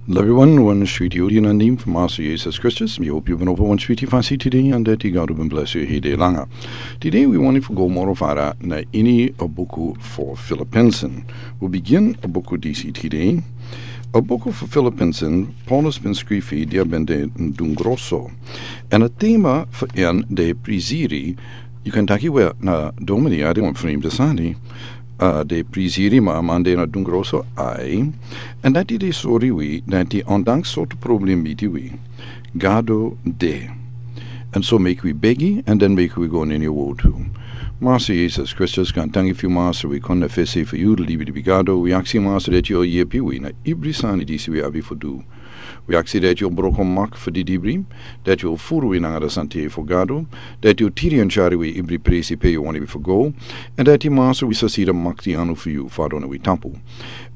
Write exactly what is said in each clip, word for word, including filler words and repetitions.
Lobi wan, wan switi odi na nim fu Master Jesus Kristus. Mi hopi yu ben opo wan switi fasi tide, and dati God ben bless yu hede langa. Tide wi wani fu go moro fara na ini a buku fu Filipinsen. Wi begin a buku disi tide. A buku fu Filipinsen, Paulus ben skrifi dia ben de dungroso. And a tema fu en de priziri, yu kan taki we na domini a de wan frimde sani, a de priziri ma a man de na dungroso ai, and dati de sori wi dati ondanks sortu problem miti wi, Gado de. And so meki wi begi, and then meki wi go na ini a wotu. Master Jesus Kristus kan tangi fu yu Master, wi kon na fesi fu yu, libi libi Gado, wi aksi Master dati yu yepi wi na ibri sani disi wi abi fu du. Wi aksi dati yu o broko mak fu didibri, dati yu o furu wi nanga da sante fu Gado, dati yu o tiri and cari wi ibri presi pe yu wani wi fu go, and dati Master wi sa si da makti anu fu yu fadon wi tapu.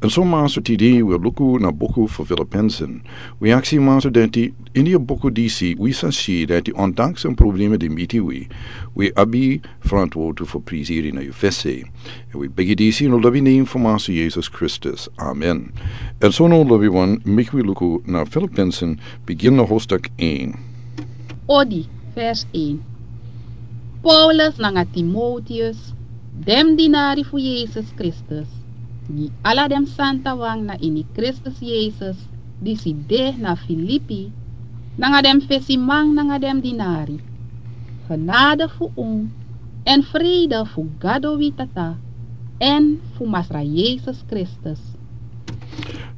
And so Master tide wi o luku na buku fu Filipinsen. Wi aksi Master dati ini a buku disi wi sa si dati ondanks a problema di miti wi, wi abi frantwotu fu priziri na yu fesi. And wi begi disi na lobi nen fu Master Jesus Kristus. Amen. And so na lobi wan meki wi luku na Filipinsen begin na hostak ein. Odi, vers een. Paulus nanga Timoteus, dem dinari fu Jesus Kristus, gi ala dem santa wan na ini Kristus Jesus, disi de na Filipi, nanga dem fesiman nanga dem dinari. Genade fu un, en vrede fu Gado wi Tata, en fu Masra Jesus Kristus.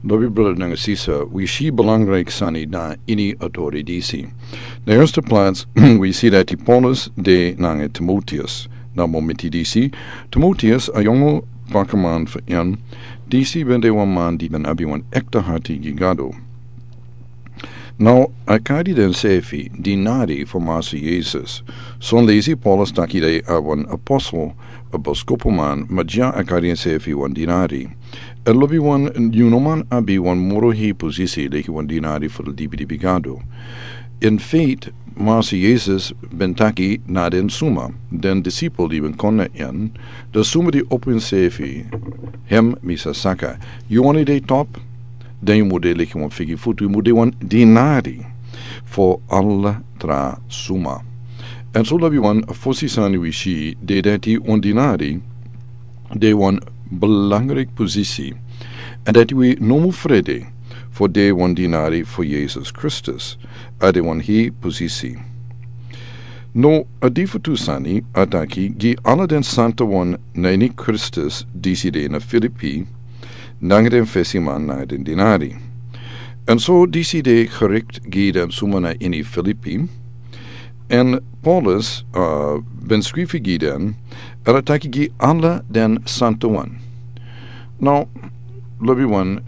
Lobi brada nanga sisa, wi si belangrijk sani na ini a tori disi. Na eerste plaats, wi si dati Paulus de nanga Timoteus. Na momenti disi, Timoteus, a yongu bakaman fu en, disi ben de wan man di ben abi wan ekte hati gi Gado. Now, a kari densefi dinari fu Master Jesus. Son lesi Paulus taki de a wan apostel, a boskopuman, ma dya a kari densefi wan dinari. And lobi wan, yu no man abi wan moro hei posisi leki wan dinari fu libi libi Gado. In faith, Master Jesus ben taki na den suma, den disciple di ben kon na en, den suma di opo ensefi, hem mi sa saka. Yu wani de top, den yu mu de leki wan figi futu, yu mu de wan dinari fu ala tra suma. And so lobi wan, a fosi sani wi si, de dati wan dinari, de wan belangrijk posisi. And dati wi no mu frede fu de wan dinari fu Jesus Kristus, a de wan hei posisi. No, a di fu tu sani, a taki, gi ala den santa wan na ini Kristus disi de na Filipi, nanga den fesiman nanga den dinari. And so disi de gericht gi den suma na ini Filipi, and Paulus, uh, ben skrifi gi den, a taki gi ala den santa wan. Now, lobi wan,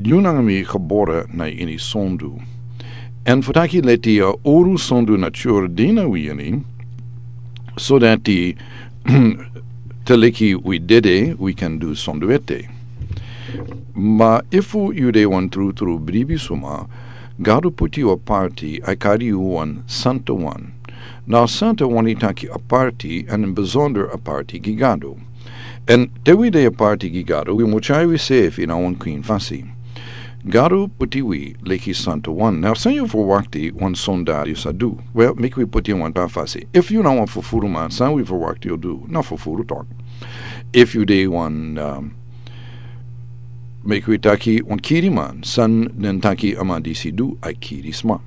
yu nanga mi gebore na ini sondu. And fu taki leti a oru sondu na chur dina wi ini, so dati te leki wi dede, wi kan du sondu ete. Ma efu yu de wan tru tru bribi suma, Gado puti yu aparti, a kari yu wan santa wan. Now santa wani taki aparti, and in bezonder aparti gi Gado. And te wi de aparti gi Gado, wi mu tyari wi sefi na wan kwin fasi. Gado puti wi leki santa wan. Now san yu ferwakti wan sonda yu sa du? Well, meki wi puti wan tra fasi. Efu yu na wan fufuru man, san wi ferwakti yu du? Na fufuru tok. Efu yu de wan, um, meki wi taki wan kiri man, san den taki a man disi du, a kiri sma.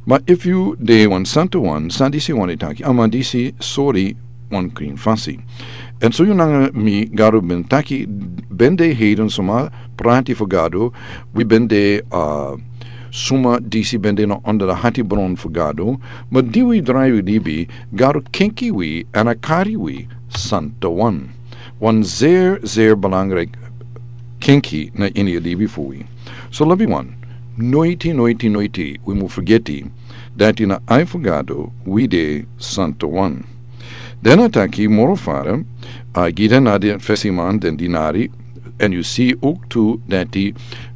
Ma efu yu de wan santa wan, san disi wani taki, a man disi sori wan kwin fasi. And so yu nanga mi, Gado ben taki, ben de heiden suma prati fu Gado, wi ben de, uh, suma disi ben de na onder a hati bron fu Gado, ma di wi drai wi libi, Gado kenki wi, and a kari wi santa wan. Wan zeer, zeer belangrijk kenki na ini a libi fu wi. So lobi wan, noiti, noiti, noiti, wi mu fergeti, dati na ai fu Gado, wi de santa wan. Den a taki moro fara, a gi den na den fesiman den dinari, and yu si ook tu dati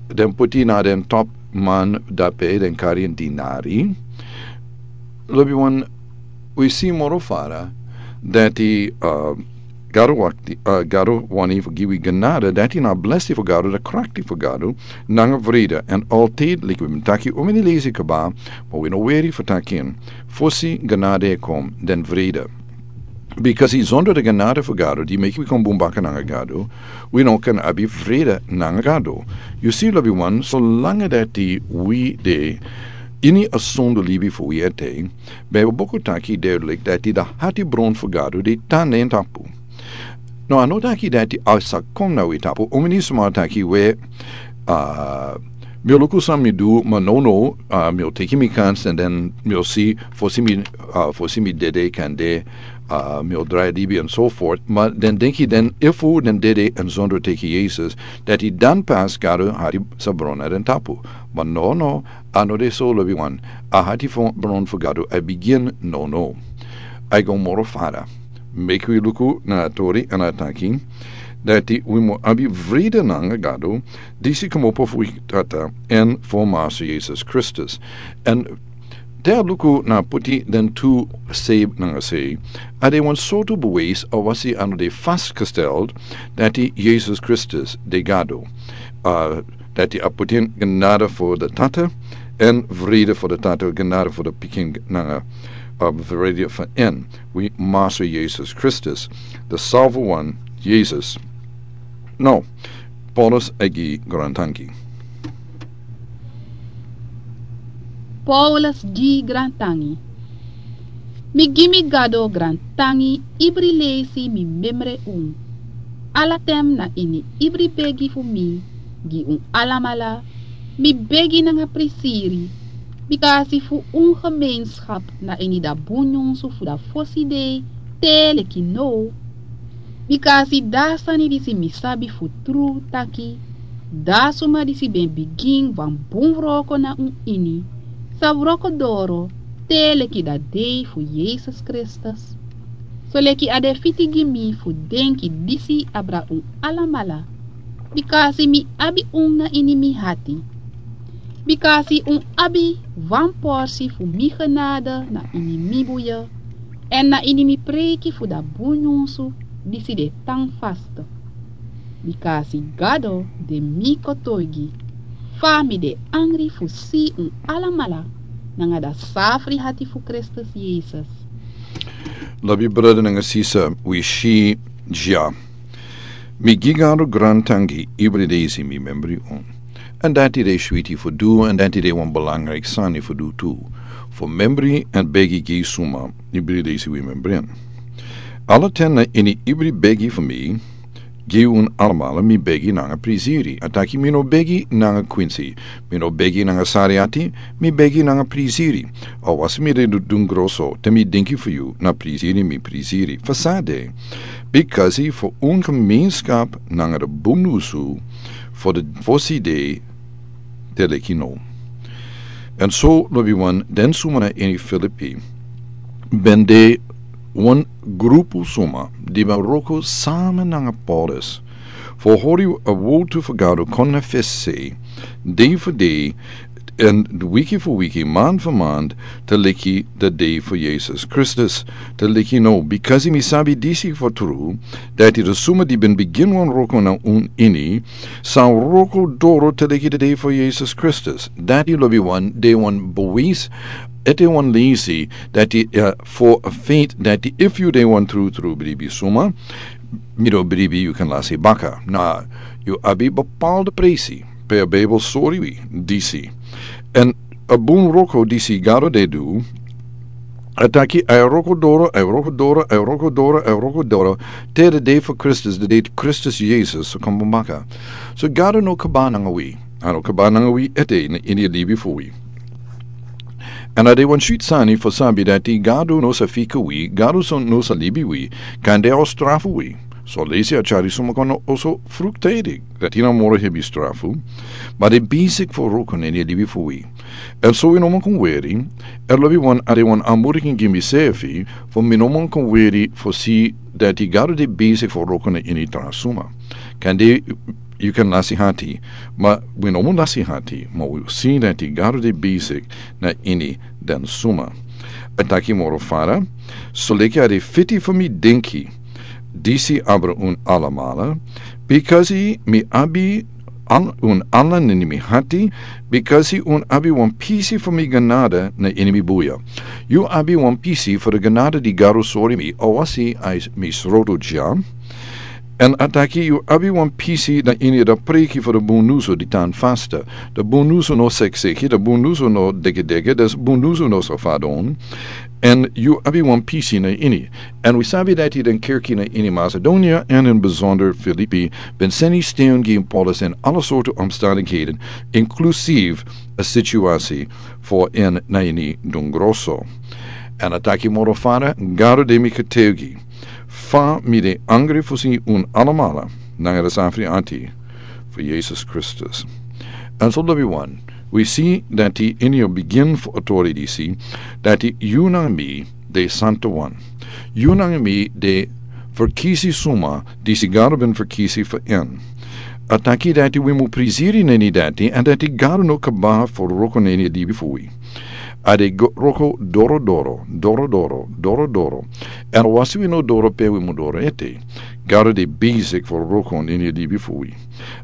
den puti na den top man dape den kari en dinari. Lobi wan, wi si moro fara, dati, uh, Gado wakti, uh, Gado wani fu gi wi genade, dati na blesi fu Gado, de krakti fu Gado, nanga vrede, en altid, leki wi ben taki, un meni lesi kaba, ma wi no weri fu taki en, fosi genade e kon, den vrede. Bikasi zonder de genade fu Gado, di meki wi kon bun baka nanga Gado, wi no kan abi vrede nanga Gado. Yu si, lobiwan, solanga dati wi de ini a sondu libi fu wi ete, ben wi boku taki duidelijk dati de hati bron fu Gado de tan na en tapu. No, a no taki dati a sa kon na wi tapu, un meni sma taki we, uh, mi o luku san mi du, ma no, no, uh, mi o teki mi kans, en den mi o si, fosi mi, uh, fosi mi dede kande, uh, mi o drai libi en so voort. Ma den denki den efu den dede en zonder teki Yesus, dati dan pas Gado hati sa bron na den tapu. Ma no, no, a no de so, lobiwan, a hati fu bron fu Gado a bigin no, no. A go moro fara. Meki wi luku na a tori, en a taki, dati wi mu abi vrede nanga Gado, disi komopo fu wi Tata, en fu Master Yesus Kristus. En te a luku na poti den tu sei nanga sei, a de wan sortu bewijs, a wasi a no de vastgesteld, dati Yesus Kristus de Gado. Uh, dati a poti en genade fu de Tata, en vrede fu de Tata, genade fu de Pikin nanga, uh, vrede fu en. Wi Master Yesus Kristus, de salvo wan, Yesus. No, Paulus a gi grantangi. Paulus gi grantangi. Mi gi mi Gado grantangi, ibri leisi mi memre un. Ala ten na ini ibri begi fu mi, gi un alamala, mi begi nanga prisiri, bikasi fu un gemeenschap na ini da bun nyunsu fu da fosi dei te leki now. Bikasi da sani disi mi sabi fu tru taki, da suma disi ben bigin wan bun wroko na un ini, sa wroko doro te leki da dei fu Yesus Kristus. Soleki a de fiti gi mi fu denki disi abra un alamala, bikasi mi abi un na ini mi hati. Bikasi un abi wan porsi fu mi genade na ini mi buye, en na ini mi preiki fu da bun nyunsu disi de tan vast. Bikasi Gado de mi kotoigi, fa mi de angri fu si un alamala nanga da safri hati fu Kristus Yesus. Lobi brada nanga sisa, wi si dya. Mi gi Gado grantangi ibri dei disi mi membri un. En dati de switi fu du, en dati de wan belangrijk sani fu du tu. Fu membri en begi gi suma, ibri dei disi wi membri en. Ala ten na ini ibri begi fu mi, gi un alamala mi begi nanga prisiri. A taki mi no begi nanga kwinsi, mi no begi nanga sari ati, mi begi nanga prisiri. A wasi mi de du-, dun groso, te mi denki fu yu, na prisiri mi prisiri. Fa san de? Bikasi fu un gemeenschap nanga de bun nyunsu fu de fosi dei te leki now. En so, lobiwan, den suma na ini Filipi, ben de wan grupu suma di ben wroko sama nanga Paulus. Fu hori a wowtu fu Gado kon na fesi, dei fu dei, en wiki fu wiki, man fu man, te leki de dei fu Yesus Kristus, te leki now, bikasi mi sabi disi fu tru, dati de suma di ben bigin wan wroko na un ini, sa wroko doro te leki de dei fu Yesus Kristus. Dati, lobiwan, de wan bewijs, ete wan leisi, dati, eh, fu a feit, dati efu yu de wan trutru bribi suma, mi no bribi yu kan lasi baka. Na, yu abi bepaalde presi, pe a Bijbel sori wi disi. En a bun wroko disi Gado de du, a taki a e wroko doro, a e wroko doro, a e wroko doro, a e wroko doro, te de dei fu Kristus, de dei Kristus Yesus, so kon bun baka. So Gado no kaba nanga wi, a no kaba nanga wi ete na ini a libi fu wi. En a de wan switi sani fu sabi dati Gado no sa fika wi, Gado so no sa libi wi, kande a o strafu wi. So leisi a tyari suma kon oso fruktidik, dati na moro hebi strafu, ma a de besik fu wroko na ini a libi fu wi. En so wi no man kon weri, en lobiwan, a de wan anmoediging gi misefi, fu mi no man kon weri fu si dati Gado de besik fu wroko na ini tra suma. Kande yu kan lasi hati, ma wi no man lasi hati, ma wi si dati Gado de besik na ini den suma. A taki moro fara, soleki a de fiti fu mi denki, Disi abra un alamala, bikasi mi abi an un ala na ini mi hati, bikasi un abi wan pisi fu mi ganada na ini mi buya. Yu abi wan pisi fu de ganada di Gado sori mi, awasi a mi sroto dya. Èn a taki yu abi wan pisi na ini de preki fu de bunusu di tan fasta. De bunusu no sekseki, de bunusu no degedege, de bunusu no safadon. Èn yu abi wan pisi na ini. Èn wi sabi dati den kerki na ini Macedonia èn in besonder Filipi ben seni sten gi Paulus in ala sortu omstandigheden, inklusief a situasi fu in na ini dungroso. Èn a taki moro fara, Gado de mi ketegi. Fa mi de angri fu si un alamala nanga de safri ati fu Yesus Kristus. Èn so lobi wan, wi si dati ini a bigin fu a tori disi, dati yu nanga mi de santa wan. Yu nanga mi de ferkisi suma disi Gado ben ferkisi fu in. A taki dati wi mu prisiri na ini dati, èn dati Gado no kaba fu wroko na ini a libi fu wi. A de go- wroko doro doro, doro doro, doro doro. Èn wasi wi no doro pe wi mu doro ete. Gado de besik fu wroko na ini a libi fu wi.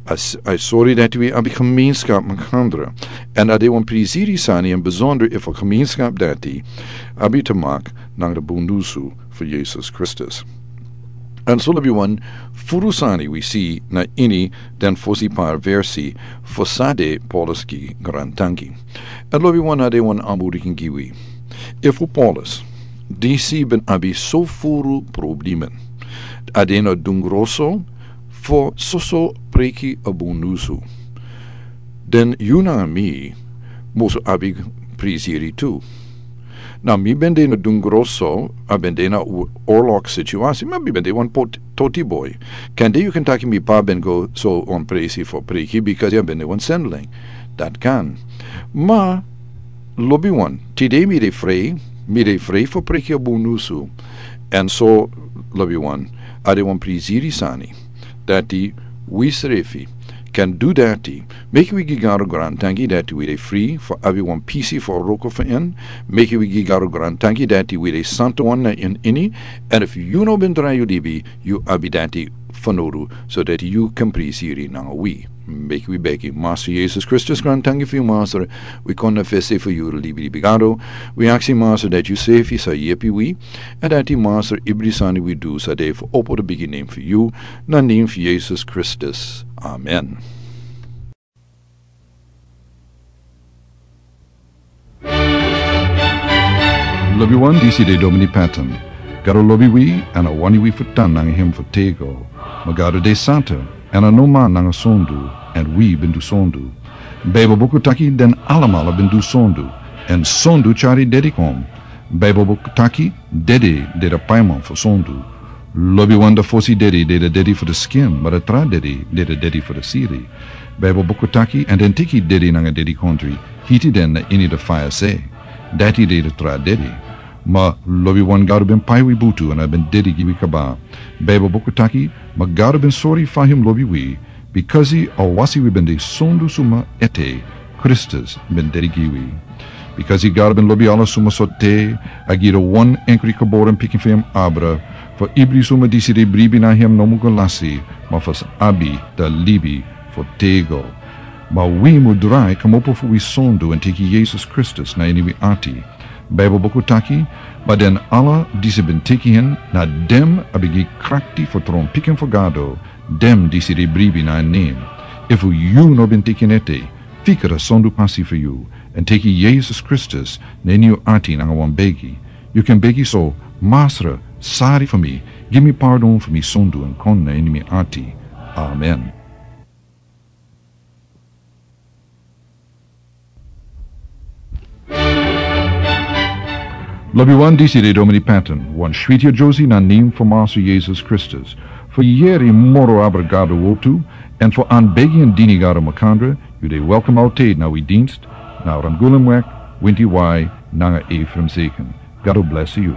A s- a sori dati wi abi gemeenskap makandra. Èn a de wan prisiri sani èn besonder efu a gemeenskap dati abi te mak nanga de bunusu fu Yesus Kristus. Èn so lobi wan, furu sani wi si na ini den fosi par versi fu san de Paulus gi grantangi. Èn lobi wan, a de wan anburikin gi wi. Efu Paulus, disi ben abi so furu problemen, a de na dungroso fu soso preki a bunusu, den yu nanga mi musu abi prisiri tu. Na mi ben de na dungroso, a ben de na u- orlok situasi, ma mi ben de wan pot- toti boi. Kande yu kan taki mi pa ben go so wan presi fu preki, bikasi a ben de wan sendeling. Dati kan. Ma lobi wan, tide mi de fri, mi de fri fu preki a bunusu. Èn so lobi wan, a de wan prisiri sani dati wi srefi kan du dati. Meki wi gi Gado grantangi dati wi de fri fu abi wan pisi fu wroko fu in. Meki wi gi Gado grantangi dati wi de santa wan na in ini. Èn efu yu no ben drai yu libi, yu abi dati fanowdu, so dati yu kan prisiri nanga wi. Meki wi begi. Masra Yesus Kristus, grantangi fu yu, Masra. Wi kon na fesi fu yu libi, libi Gado. Wi aksi, Masra, dati yu srefi sa yepi wi. Èn dati, Masra, ibri sani wi du sa de fu opo de bigi nen fu yu. Na nen fu Yesus Kristus. Amen. Lobi wan, disi de Domini Patton. Gado lobi wi, èn a wani wi fu tan nanga hem fu tego. Ma Gado de santa, èn a no man nanga sondu, èn wi ben du sondu. Baibel buku taki den alamala ben du sondu, èn sondu tyari dede kon. Baibel buku taki dede de de paiman fu sondu. Lobi wan, de fosi dede de de dede fu de skin, ma de tra dede de de dede fu de siri. Baibel buku taki, èn den teki dede nanga dedikondre, hiti den na ini de faya se. Dati de de tra dede. Ma lobi wan, Gado ben pai wi butu, èn a ben dede gi wi kaba. Baibel buku taki, ma Gado ben sori fa hem lobi wi, bikasi awasi wi ben de sondu suma ete, Kristus ben dede gi wi. Bikasi Gado ben lobi ala suma so te, a gi de wan enkri geboren pikin fu hem abra, fu ibri suma disi de bribi na hem no mu go lasi, ma fu sa abi de libi fu tego. Ma wi mu drai komopo fu wi sondu èn teki Yesus Kristus na ini wi ati. Baibel buku taki, ma den ala disi ben teki hen, na dem a ben gi krakti fu tron pikin fu Gado, dem disi de bribi na en nen. Efu yu no ben teki en ete, fika de sondu pasi fu yu, èn teki Yesus Kristus na ini yu ati nanga wan begi. Yu kan begi so: Masra, sari fu mi, gi mi pardon fu mi sondu èn kon na ini mi ati. Amen. Lobi wan, disi de Domini Patton, wan switi a Josie na nen fu Masra Yesus Kristus. Fu yere moro abra Gado wortu, èn fu anbegi èn dini Gado makandra, yu de welkom altijd na wi dienst, na Ramgulumweg, Winti Wai, nanga Ephraim Zeken. Gado bless yu.